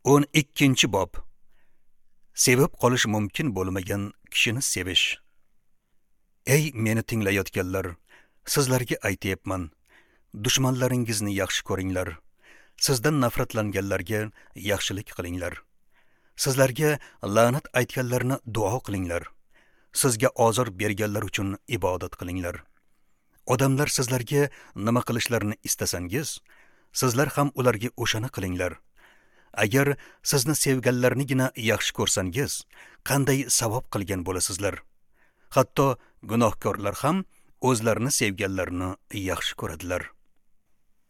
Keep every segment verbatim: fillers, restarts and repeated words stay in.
O'n ikkinchi bob. Sevib qolish mumkin bo'lmagan kishini sevish. Ey meni tinglayotganlar, sizlarga aytyapman. Dushmanlaringizni yaxshi ko'ringlar. Sizdan nafratlanganlarga yaxshilik qilinglar. Sizlarga la'nat aytganlarni duo qilinglar. Sizga ozor berganlar uchun ibodat qilinglar. Odamlar sizlarga nima qilishlarini istasangiz, sizlar ham ularga o'shani qilinglar. Agar sizni sevganlarnigina yaxshi ko'rsangiz, qanday savob qilgan bo'lasizlar? Hatto gunohkorlar ham o'zlarini sevganlarini yaxshi ko'radilar.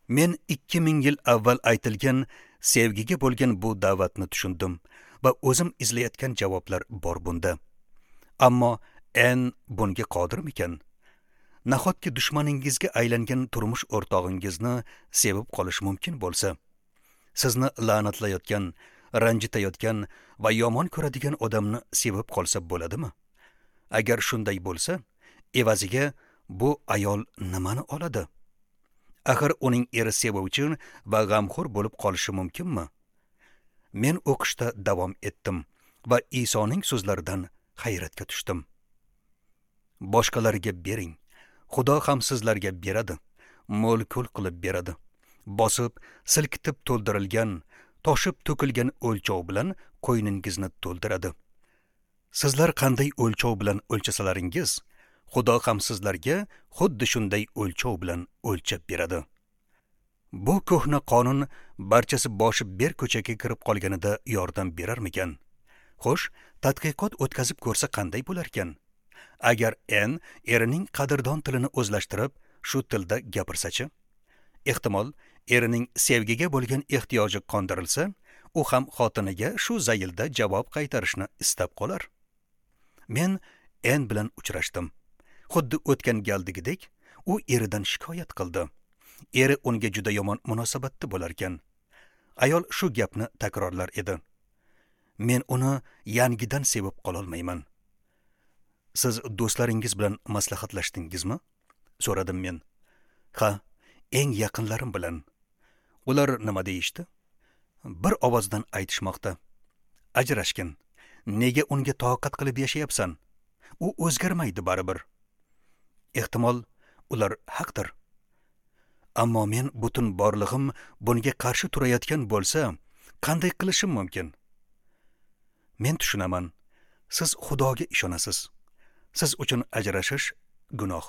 Men ikki ming yil avval aytilgan sevgiga bo'lgan bu da'vatni tushundim va o'zim izlayotgan javoblar bor bunda. Ammo en bunga qodirmikan? Nahotki dushmaningizga aylangan turmush o'rtog'ingizni sevib qolish mumkin bo'lsa? Sizni la'natlayotgan, ranjitayotgan va yomon ko'radigan odamni sevib qolsa bo'ladimi? Agar shunday bo'lsa, evaziga bu ayol nimani oladi? Axir uning eri sevuvchi va g'amxo'r bo'lib qolishi mumkinmi? Men o'qishda davom etdim va Isoning so'zlaridan hayratga tushdim. Boshqalarga bering, Xudo ham sizlarga beradi, mo'l-ko'l qilib beradi. Bosib, silkitib to'ldirilgan, toshib to'kilgan o'lchov bilan qo'yningizni to'ldiradi. Sizlar qanday o'lchov bilan o'lchasalaringiz, Xudo ham sizlarga xuddi shunday o'lchov bilan o'lchab beradi. Bu ko'hna qonun barchasi boshi ber ko'chaga kirib qolganida yordam berarmikan? Xo'sh, tadqiqot o'tkazib ko'rsa qanday bo'larkan? Agar en erining qadrdon tilini o'zlashtirib, shu tilda gapirsa-chi? Ehtimol, erining sevgiga bo'lgan ehtiyoji qondirilsa, u ham xotiniga shu zaylda javob qaytarishni istab qolar. Men en bilan uchrashdim. Xuddi o'tgan galdagidek, u eridan shikoyat qildi. Eri unga juda yomon munosabatda bo'larkan. Ayol shu gapni takrorlar edi. Men uni yangidan sevib qololmayman. Siz do'stlaringiz bilan maslahatlashdingizmi? So'radim men. Ha, eng yaqinlarim bilan. Ular nima deyishdi? Bir ovozdan aytishmoqda. Ajrashgin. Nega unga toqat qilib yashayapsan? U o'zgarmaydi baribir. Ehtimol, ular haqdir. Ammo men butun borlig'im bunga qarshi turayotgan bo'lsa, qanday qilishim mumkin? Men tushunaman. Siz Xudoga ishonasiz. Siz uchun ajrashish gunoh.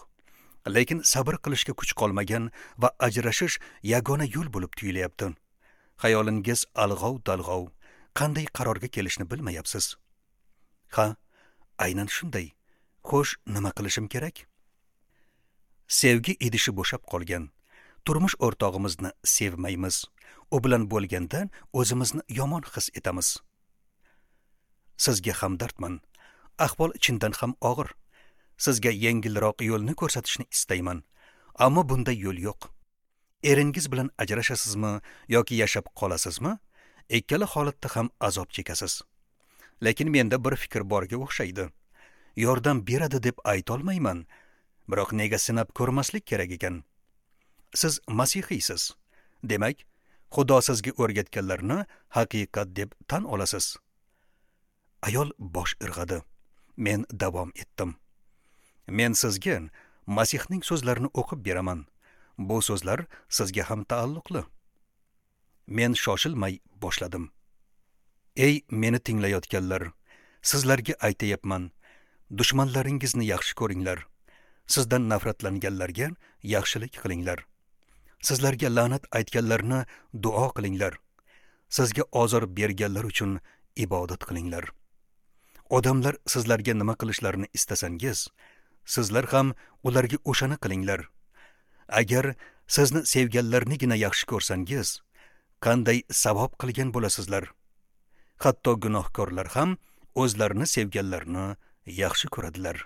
Lekin sabr qilishga kuch qolmagan va ajrashish yagona yo'l bo'lib tuyulyapti. Xayolingiz alg'ov-dalg'ov, qanday qarorga kelishni bilmayapsiz. Ha, aynan shunday. Xo'sh, nima qilishim kerak? Sevgi idishi bo'shab qolgan. Turmush o'rtog'imizni sevmaymiz. U bilan bo'lganda o'zimizni yomon his etamiz. Sizga hamdardman. Ahvol chindan ham og'ir. Sizga yengilroq yo'lni ko'rsatishni istayman. Ammo bunday yo'l yo'q. Eringiz bilan ajrashasizmi yoki yashab qolasizmi? Ikkala holatda ham azob chekasiz. Lekin menda bir fikr borga o'xshaydi. Yordam beradi deb ayta olmayman. Biroq nega sinab ko'rmaslik kerak ekan? Siz masihiysiz. Demak, Xudo sizga o'rgatganlarni haqiqat deb tan olasiz. Ayol bosh irg'adi. Men davom etdim. Men sizga Masihning so'zlarini o'qib beraman. Bu so'zlar sizga ham taalluqli. Men shoshilmay boshladim. Ey meni tinglayotganlar, sizlarga aytayapman. Dushmanlaringizni yaxshi ko'ringlar. Sizdan nafratlanganlarga yaxshilik qilinglar. Sizlarga la'nat aytganlarni duo qilinglar. Sizga ozor berganlar uchun ibodat qilinglar. Odamlar sizlarga nima qilishlarini istasangiz, sizlar ham ularga o'shani qilinglar. Agar sizni sevganlarnigina yaxshi ko'rsangiz, qanday savob qilgan bo'lasizlar? Hatto gunohkorlar ham o'zlarini sevganlarni yaxshi ko'radilar.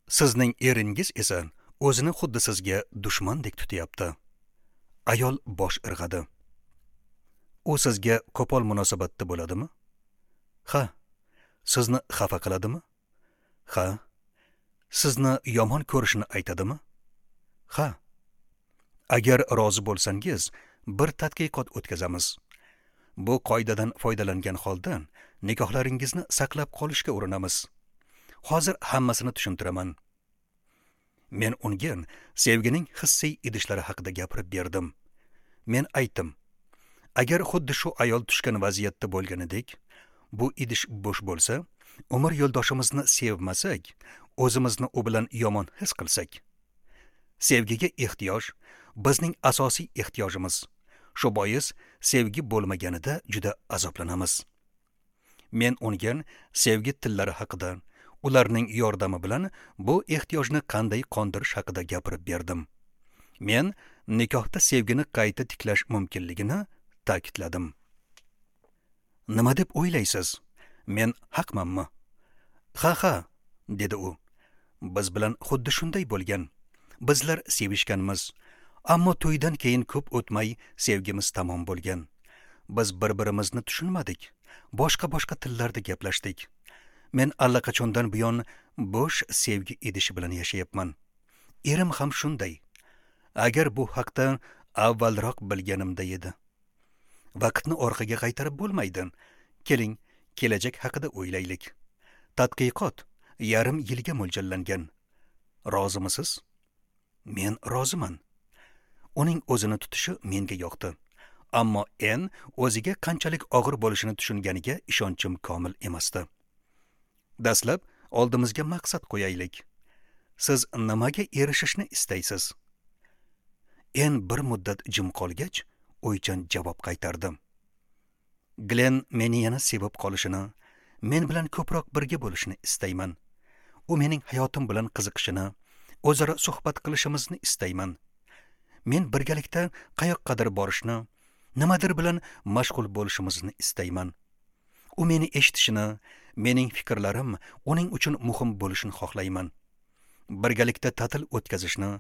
Sizning eringiz esa o'zini xuddi sizga dushmandek tutyapti. Ayol bosh irg'adi. U sizga qo'pol munosabatda bo'ladimi? Ha. Sizni xafa qiladimi? Ha. Sizni yomon ko'rishini aytadimi? Ha. Agar rozi bo'lsangiz, bir tadqiqot o'tkazamiz. Bu qoidadan foydalangan holda nikohlaringizni saqlab qolishga urinamiz. Hozir hammasini tushuntiraman. Men unga sevgining hissiy idishlari haqida gapirib berdim. Men aytdim: agar xuddi shu ayol tushgan vaziyatda bo'lganidek, bu idish bo'sh bo'lsa, umr yo'ldoshimizni sevmasak, o'zimizni u bilan yomon his qilsak. Sevgiga ehtiyoj bizning asosiy ehtiyojimiz. Shu bois sevgi bo'lmaganida juda azoblanamiz. Men unga sevgi tillari haqida, ularning yordami bilan bu ehtiyojni qanday qondirish haqida gapirib berdim. Men nikohda sevgini qayta tiklash mumkinligini ta'kidladim. Nima deb o'ylaysiz? Men haqmanmi? Ha, ha, dedi u. Biz bilan xuddi shunday bo'lgan. Bizlar sevishganmiz, ammo to'ydan keyin ko'p o'tmay sevgimiz tamom bo'lgan. Biz bir-birimizni tushunmadik. Boshqa-boshqa tillarda gaplashdik. Men allaqachondan buyon bo'sh sevgi idishi bilan yashayapman. Erim ham shunday. Agar bu haqda avvalroq bilganimda edi. Vaqtni orqaga qaytarib bo'lmaydi. Keling, kelajak haqida o'ylaylik. Tadqiqot yarim yilga mo'ljallangan. Rozimisiz? Men roziman. Uning o'zini tutishi menga yoqdi. Ammo En o'ziga qanchalik og'ir bo'lishini tushunganiga ishonchim komil emasdi. Dastlab oldimizga maqsad qo'yaylik. Siz nimaga erishishni istaysiz? En bir muddat jim qolgach, o'ychan javob qaytardi. Glenn meni yana sevib qolishini, men bilan ko'proq birga bo'lishini istayman. U mening hayotim bilan qiziqishini, o'zaro suhbat qilishimizni istayman. Men birgalikda qayoqqadir borishni, nimadir bilan mashg'ul bo'lishimizni istayman. U meni eshitishini, mening fikrlarim uning uchun muhim bo'lishini xohlayman. Birgalikda ta'til o'tkazishni,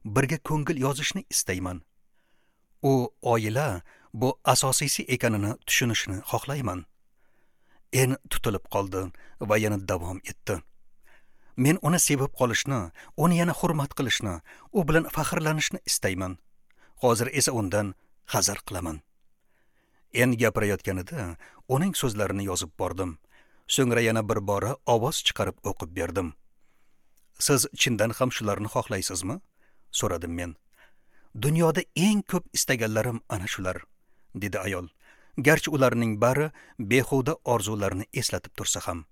birga ko'ngil yozishni istayman. U oila bu asosiysi ekanini tushunishini xohlayman. En tutilib qoldi va yana davom etdi. Men uni sevib qolishni, uni yana hurmat qilishni, u bilan faxrlanishni istayman. Hozir esa undan hazar qilaman. En gapirayotganida uning so'zlarini yozib bordim. So'ngra yana bir bora ovoz chiqarib o'qib berdim. Siz chindan ham shularni xohlaysizmi? So'radim men. Dunyoda eng ko'p istaganlarim ana shular, dedi ayol. Garchi ularning bari behuda orzularni eslatib tursa ham.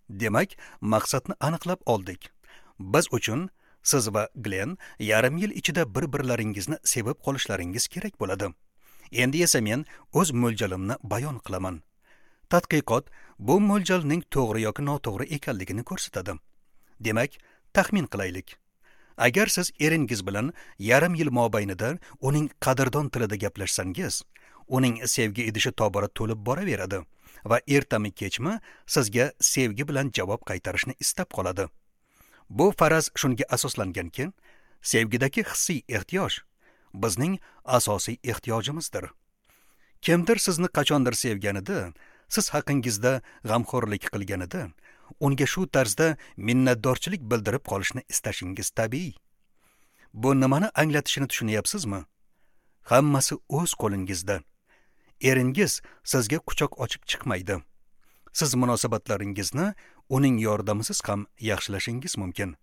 Demak, maqsadni aniqlab oldik. Biz uchun siz va Glenn yarim yil ichida bir-birlaringizni sevib qolishlaringiz kerak bo'ladi. Endi esa men o'z mo'ljalimni bayon qilaman. Tadqiqot bu mo'ljalning to'g'ri yoki noto'g'ri ekanligini ko'rsatadi. Demak, taxmin qilaylik. Agar siz eringiz bilan yarim yil mobaynida uning qadrdon tilida gaplashsangiz, uning sevgi idishi tobora to'lib boraveradi va ertami kechmi sizga sevgi bilan javob qaytarishni istab qoladi. Bu faraz shunga asoslanganki, sevgidagi hissiy ehtiyoj bizning asosiy ehtiyojimizdir. Kimdir sizni qachondir sevganida, siz haqingizda g'amxo'rlik qilganida, unga shu tarzda minnatdorchilik bildirib qolishni istashingiz tabiiy. Bu nimani anglatishini tushunyapsizmi? Hammasi o'z qo'lingizda. Eringiz sizga quchoq ochib chiqmaydi. Siz munosabatlaringizni uning yordamisiz ham yaxshilashingiz mumkin.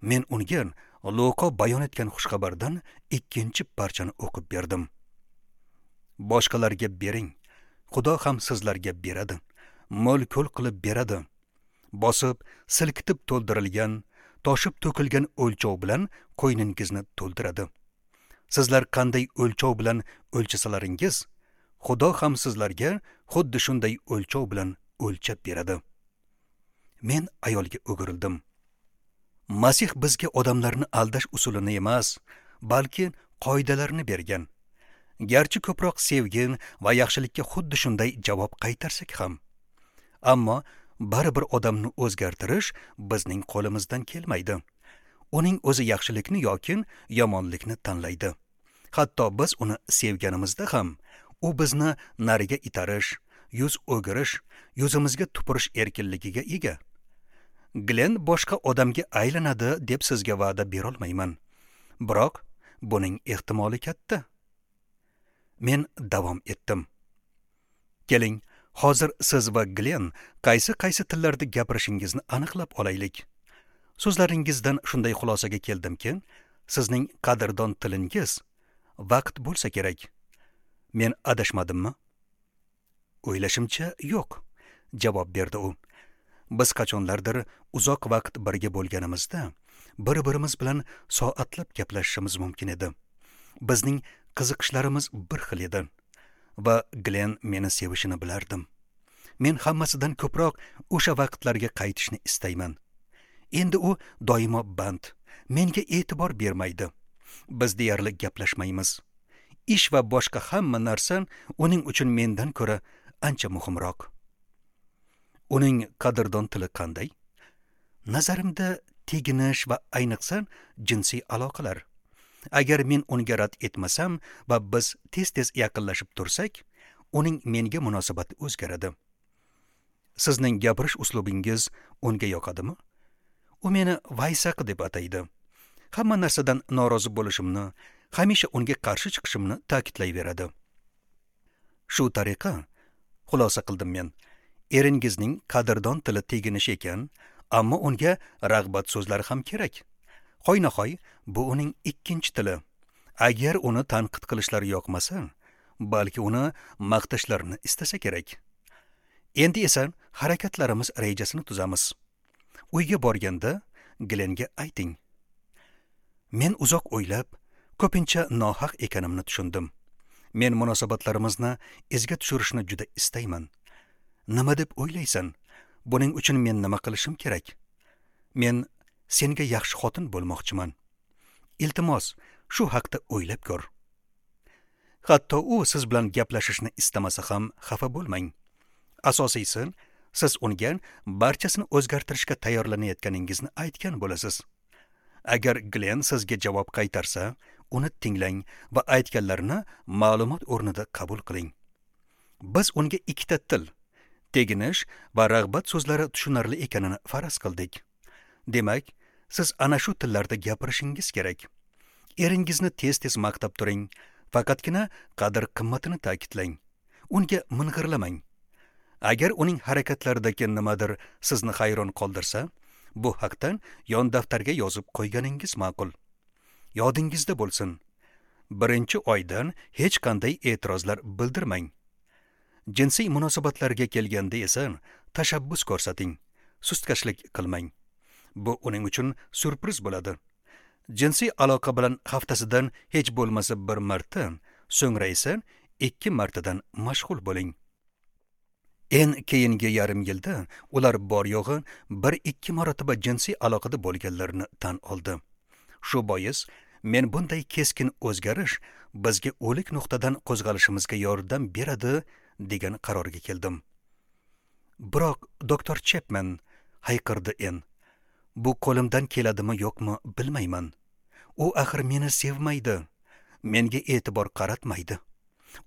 Men unga Luqa bayon etgan xushxabardan ikkinchi parchani o'qib berdim. Boshqalarga bering, Xudo ham sizlarga beradi. Mo'l-ko'l qilib beradi. Bosib, silkitib to'ldirilgan, toshib to'kilgan o'lchov bilan qo'yningizni to'ldiradi. Sizlar qanday o'lchov bilan o'lchasalaringiz, Xudo ham sizlarga xuddi shunday o'lchov bilan o'lchab beradi. Men ayolga o'girildim. Masih bizga odamlarni aldash usulini emas, balki qoidalarni bergan. Garchi ko'proq sevgi va yaxshilikka xuddi shunday javob qaytarsak ham, ammo baribir odamni o'zgartirish bizning qo'limizdan kelmaydi. Uning o'zi yaxshilikni yoki yomonlikni tanlaydi. Hatto biz uni sevganimizda ham u bizni nariga itarish, yuz o'girish, yuzimizga tupurish erkinligiga ega. Glenn boshqa odamga aylanadi deb sizga va'da bera olmayman. Biroq buning ehtimoli katta. Men davom etdim. Keling, hozir siz va Glenn qaysi qaysi tillarda gapirishingizni aniqlab olaylik. So'zlaringizdan shunday xulosaga keldimki, sizning qadrdon tilingiz vaqt bo'lsa kerak. Men adashmadimmi? O'ylashimcha, yo'q, javob berdi u. Biz qachonlardir uzoq vaqt birga bo'lganimizda bir-birimiz bilan soatlab gaplashishimiz mumkin edi. Bizning qiziqishlarimiz bir xil edi va Glenn meni sevishini bilardim. Men hammasidan ko'proq o'sha vaqtlarga qaytishni istayman. Endi u doimo band, menga e'tibor bermaydi. Biz deyarli gaplashmaymiz. Ish va boshqa hamma narsa uning uchun mendan ko'ra ancha muhimroq. Uning qadrdon tili qanday? Nazarimda teginish va ayniqsa jinsiy aloqalar. Agar men unga rad etmasam va biz tez-tez yaqinlashib tursak, uning menga munosabati o'zgaradi. Sizning gapirish uslubingiz unga yoqadimi? U meni vaysaq deb ataydi. Hamma narsadan norozi bo'lishimni, hamisha unga qarshi chiqishimni ta'kidlayveradi. Shu tariqa xulosa qildim men. Eringizning qadrdon tili teginish ekan, ammo unga rag'bat so'zlari ham kerak. Hoynahoy bu uning ikkinchi tili. Agar uni tanqid qilishlari yoqmasa, balki uni maqtashlarini istasa kerak. Endi esa harakatlarimiz rejasini tuzamiz. Uyga borganda Glennga ayting. Men uzoq o'ylab, ko'pincha nohaq ekanimni tushundim. Men munosabatlarimizni izga tushirishni juda istayman. Nima deb o'ylaysan? Buning uchun men nima qilishim kerak? Men senga yaxshi xotin bo'lmoqchiman. Iltimos, shu haqda o'ylab ko'r. Hatto u siz bilan gaplashishni istamasa ham xafa bo'lmang. Asosiysi, siz unga barchasini o'zgartirishga tayyorlanayotganingizni aytgan bo'lasiz. Agar Glenn sizga javob qaytarsa, uni tinglang va aytganlarini ma'lumot o'rnida qabul qiling. Biz unga ikkita til, teginish va rag'bat so'zlari tushunarli ekanini faraz qildik. Demak, siz ana shu tillarda gapirishingiz kerak. Eringizni tez-tez maqtab turing, faqatgina qadr-qimmatini ta'kidlang. Unga ming'irlamang. Agar uning harakatlaridagi nimadir sizni hayron qoldirsa, bu haqda yon daftarga yozib qo'yganingiz ma'qul. Yodingizda bo'lsin. Birinchi oydan hech qanday e'tirozlar bildirmang. Jinsiy munosabatlarga kelganda esa tashabbus ko'rsating, sustkashlik qilmang. Bu uning uchun syurpriz bo'ladi. Jinsiy aloqa bilan haftasidan hech bo'lmasa bir marta, so'ngra esa ikki martadan mashg'ul bo'ling. En keyingi yarim yilda ular bor yo'g'i bir ikki marotaba jinsiy aloqada bo'lganlarini tan oldi. Shu bois men bunday keskin o'zgarish bizga o'lik nuqtadan qo'zg'alishimizga yordam beradi degan qarorga keldim. Biroq doktor Chapman, hayqirdi En, bu qo'limdan keladimi yo'qmi bilmayman. U axir meni sevmaydi, menga e'tibor qaratmaydi.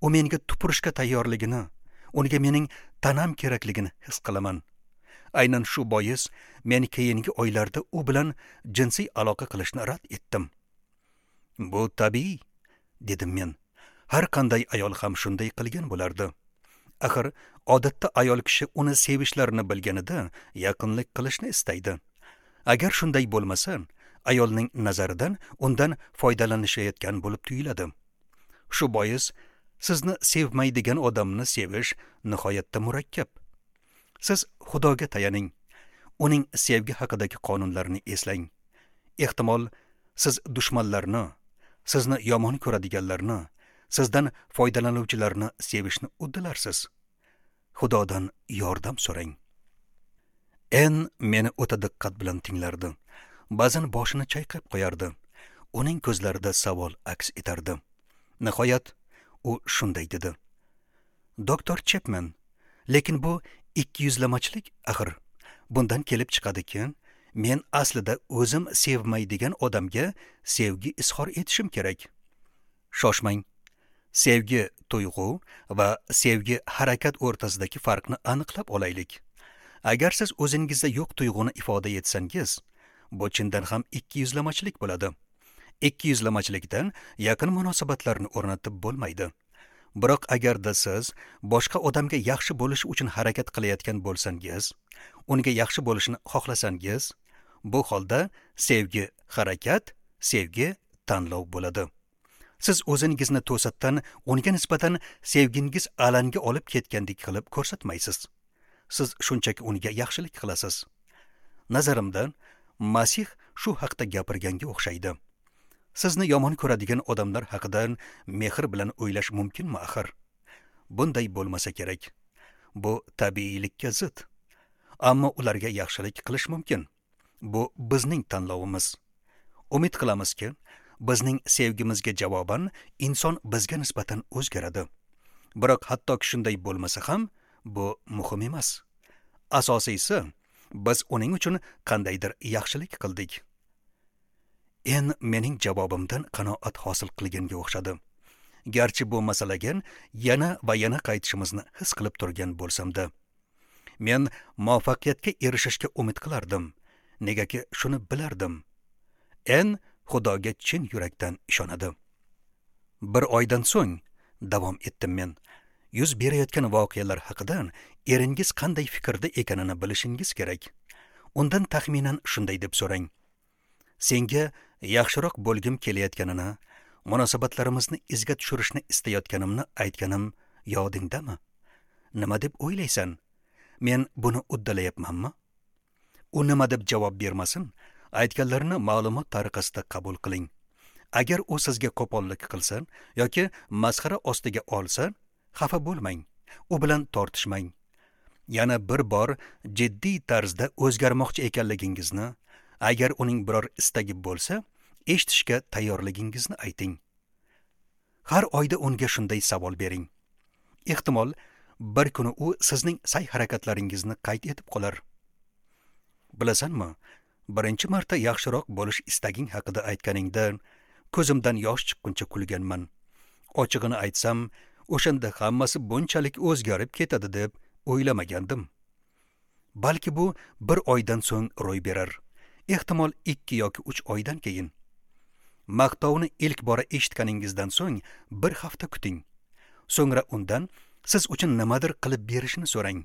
U menga tupurishga tayyorligini, unga mening tanam kerakligini his qilaman. Aynan shu bois men keyingi oylarda u bilan jinsiy aloqa qilishni rad etdim. Bu tabiiy, dedim men. Har qanday ayol ham shunday qilgan bo'lardi. Axir odatda ayol kishi uni sevishlarini bilganida yaqinlik qilishni istaydi. Agar shunday bo'lmasa, ayolning nazaridan undan foydalanishayotgan bo'lib tuyuladi. Shu bois sizni sevmaydigan odamni sevish nihoyatda murakkab. Siz Xudoga tayaning. Uning sevgi haqidagi qonunlarini eslang. Ehtimol siz dushmanlarni, sizni yomon ko'radiganlarni, sizdan foydalanuvchilarni sevishni uddalarsiz. Xudodan yordam so'rang. En meni o'ta diqqat bilan tinglardi. Ba'zan boshini chayqab qo'yardi. Uning ko'zlarida savol aks etardi. Nihoyat u shunday dedi: Doktor Chapman, lekin bu ikki yuzlamachilik axir. Bundan kelib chiqadiki, men aslida o'zim sevmaydigan odamga sevgi izhor etishim kerak. Shoshmang. Sevgi tuyg'u va sevgi harakat o'rtasidagi farqni aniqlab olaylik. Agar siz o'zingizda yo'q tuyg'uni ifoda etsangiz, bu chindan ham ikki yuzlamachilik bo'ladi. Ikki yuzlamachilikdan yaqin munosabatlarni o'rnatib bo'lmaydi. Biroq agarda siz boshqa odamga yaxshi bo'lish uchun harakat qilayotgan bo'lsangiz, unga yaxshi bo'lishini xohlasangiz, bu holda sevgi harakat, sevgi tanlov bo'ladi. Siz o'zingizni to'satdan unga nisbatan sevgingiz alanga olib ketgandek qilib ko'rsatmaysiz. Siz shunchaki unga yaxshilik qilasiz. Nazarimda, Masih shu haqda gapirganga o'xshaydi. Sizni yomon ko'radigan odamlar haqida mehr bilan o'ylash mumkinmi axir? Bunday bo'lmasa kerak. Bu tabiiylikka zid. Ammo ularga yaxshilik qilish mumkin. Bu bizning tanlovimiz. Umid qilamizki, bizning sevgimizga javoban inson bizga nisbatan o'zgaradi. Biroq hattoki shunday bo'lmasa ham, bu muhim emas. Asosiysi, biz uning uchun qandaydir yaxshilik qildik. En mening javobimdan qanoat hosil qilganga o'xshadi. Garchi bu masalaga yana va yana qaytishimizni his qilib turgan bo'lsam-da, men muvaffaqiyatga erishishga umid qilardim. Negaki shuni bilardim. En Xudoga chin yurakdan ishonadi. Bir oydan so'ng davom etdim men. Yuz berayotgan voqealar haqida eringiz qanday fikrda ekanini bilishingiz kerak. Undan taxminan shunday deb so'rang: senga yaxshiroq bo'lgim kelayotganini, munosabatlarimizni izga tushirishni istayotganimni aytganim yodingdami? Nima deb o'ylaysan? Men buni uddalayapmanmi? U nima deb javob bermasin, aytganlarini ma'lumot tariqasida qabul qiling. Agar u sizga qo'pollik qilsa yoki masxara ostiga olsa, xafa bo'lmang, u bilan tortishmang. Yana bir bor jiddiy tarzda o'zgarmoqchi ekanligingizni, agar uning biror istagi bo'lsa, eshitishga tayyorligingizni ayting. Har oyda unga shunday savol bering. Ehtimol, bir kuni u sizning sa'y-harakatlaringizni qayd etib qolar. Bilasanmi, birinchi marta yaxshiroq bo'lish istaging haqida aytganingda ko'zimdan yosh chiqquncha kulganman. Ochig'ini aytsam, o'shanda hammasi bunchalik o'zgarib ketadi deb o'ylamagandim. Balki bu bir oydan so'ng ro'y berar. Ehtimol ikki yoki uch oydan keyin. Maqtovni ilk bora eshitganingizdan so'ng bir hafta kuting. So'ngra undan siz uchun nimadir qilib berishini so'rang.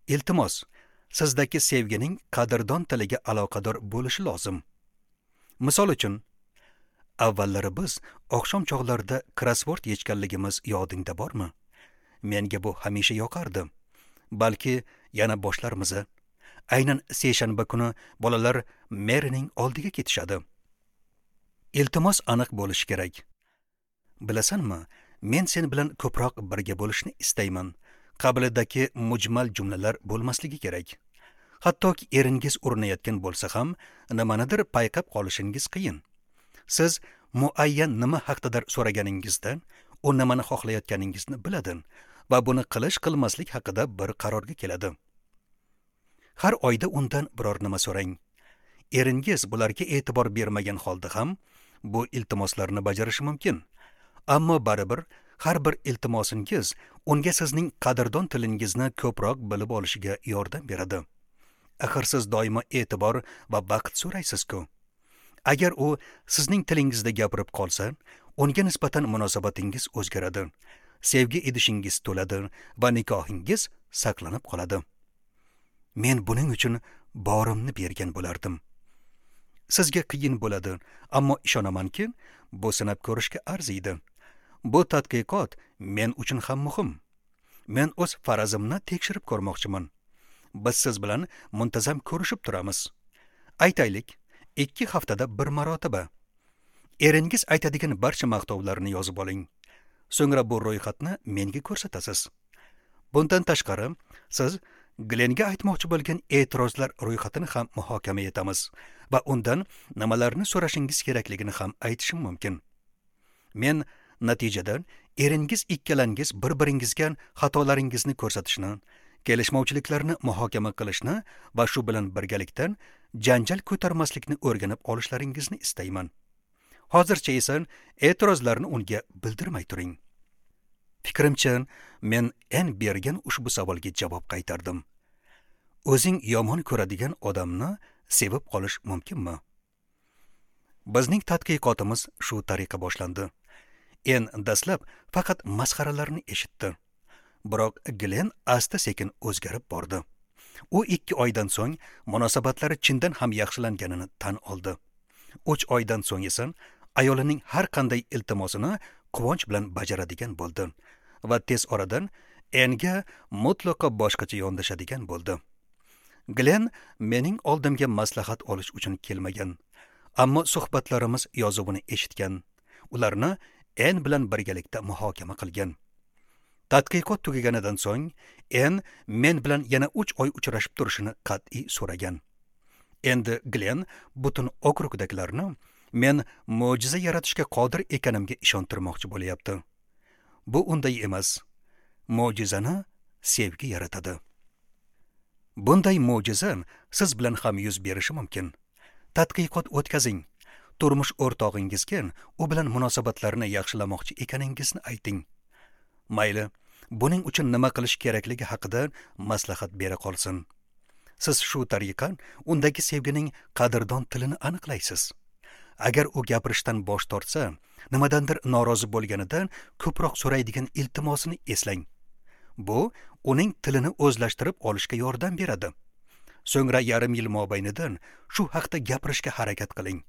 Iltimos, sizdagi sevgining qadrdon tiliga aloqador bo'lishi lozim. Misol uchun, avvallari biz oqshom chog'larida krossvord yechganligimiz yodingda bormi? Menga bu hamisha yoqardi. Balki yana boshlarmiz. Aynan seshanba kuni bolalar Merining oldiga ketishadi. Iltimos aniq bo'lishi kerak. Bilasanmi, men sen bilan ko'proq birga bo'lishni istayman. Qabilidagi mujmal jumlalar bo'lmasligi kerak. Hattoki eringiz urinayotgan bo'lsa ham, nimanidir payqab qolishingiz qiyin. Siz muayyan nima haqdadir so'raganingizda, u nimani xohlayotganingizni biladi va buni qilish qilmaslik haqida bir qarorga keladi. Har oyda undan biror nima so'rang. Eringiz bularga e'tibor bermagan holda ham bu iltimoslarni bajarishi mumkin. Ammo baribir har bir iltimosingiz unga sizning qadrdon tilingizni ko'proq bilib olishiga yordam beradi. Axir siz doimo e'tibor va vaqt so'raysiz-ku. Agar u sizning tilingizda gapirib qolsa, unga nisbatan munosabatingiz o'zgaradi. Sevgi idishingiz to'ladi va nikohingiz saqlanib qoladi. Men buning uchun borimni bergan bo'lardim. Sizga qiyin bo'ladi, ammo ishonamanki, bu sinab ko'rishga arziydi. Bu tadqiqot men uchun ham muhim. Men o'z farazimni tekshirib ko'rmoqchiman. Biz siz bilan muntazam ko'rishib turamiz. Aytaylik, ikki haftada bir marotaba. Eringiz aytadigan barcha maqtovlarni yozib oling. So'ngra bu ro'yxatni menga ko'rsatasiz. Bundan tashqari, siz Glenga aytmoqchi bo'lgan e'tirozlar ro'yxatini ham muhokama etamiz va undan nimalarni so'rashingiz kerakligini ham aytishim mumkin. Men natijada eringiz ikkalangiz bir-biringizga xatolaringizni ko'rsatishni, kelishmovchiliklarni muhokama qilishni va shu bilan birgalikda janjal ko'tarmaslikni o'rganib olishlaringizni istayman. Hozircha esa e'tirozlarni unga bildirmay turing. Fikrimcha, men en bergan ushbu savolga javob qaytardim. O'zing yomon ko'radigan odamni sevib qolish mumkinmi? Bizning tadqiqotimiz shu tariqa boshlandi. En dastlab faqat masxaralarni eshitdi. Biroq Glenn asta-sekin o'zgarib bordi. U ikki oydan so'ng munosabatlari chindan ham yaxshilanganini tan oldi. Uch oydan so'ng esa ayolining har qanday iltimosini quvonch bilan bajaradigan bo'ldi va tez oradan Enga mutlaqo boshqacha yondashadigan bo'ldi. Glenn mening oldimga maslahat olish uchun kelmagan, ammo suhbatlarimiz yozuvini eshitgan, ularni En bilan birgalikda muhokama qilgan. Tadqiqot tugaganidan so'ng En men bilan yana uch oy uchrashib turishini qat'iy so'ragan. Endi Glenn butun okrugdagilarni men mo'jiza yaratishga qodir ekanimga ishontirmoqchi bo'lyapti. Bu unday emas. Mo'jizani sevgi yaratadi. Bunday mo'jiza siz bilan ham yuz berishi mumkin. Tadqiqot o'tkazing. Turmush o'rtog'ingizga u bilan munosabatlarni yaxshilamoqchi ekaningizni ayting. Mayli, buning uchun nima qilish kerakligi haqida maslahat bera qolsin. Siz shu tariqa undagi sevgining qadrdon tilini aniqlaysiz. Agar u gapirishdan bosh tortsa, nimadandir norozi bo'lganida ko'proq so'raydigan iltimosini eslang. Bu uning tilini o'zlashtirib olishga yordam beradi. So'ngra yarim yil mobaynida shu haqda gapirishga harakat qiling.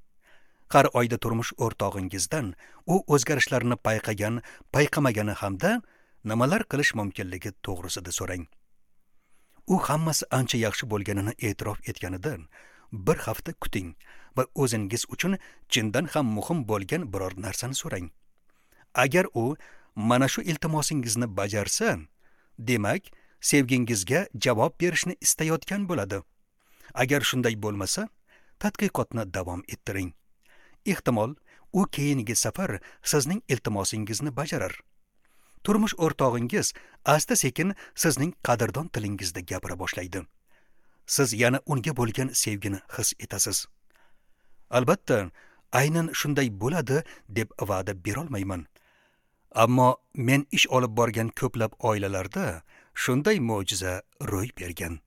Har oyda turmush o'rtog'ingizdan u o'zgarishlarni payqagan, payqamagani hamda nimalar qilish mumkinligi to'g'risida so'rang. U hammasi ancha yaxshi bo'lganini e'tirof etganidan bir hafta kuting va o'zingiz uchun chindan ham muhim bo'lgan biror narsani so'rang. Agar u mana shu iltimosingizni bajarsa, demak, sevgingizga javob berishni istayotgan bo'ladi. Agar shunday bo'lmasa, tadqiqotni davom ettiring. Ehtimol, u keyingi safar sizning iltimosingizni bajarar. Turmush o'rtog'ingiz asta-sekin sizning qadrdon tilingizda gapira boshlaydi. Siz yana unga bo'lgan sevgini his etasiz. Albatta, aynan shunday bo'ladi deb va'da bera olmayman. Ammo men ish olib borgan ko'plab oilalarda shunday mo'jiza ro'y bergan.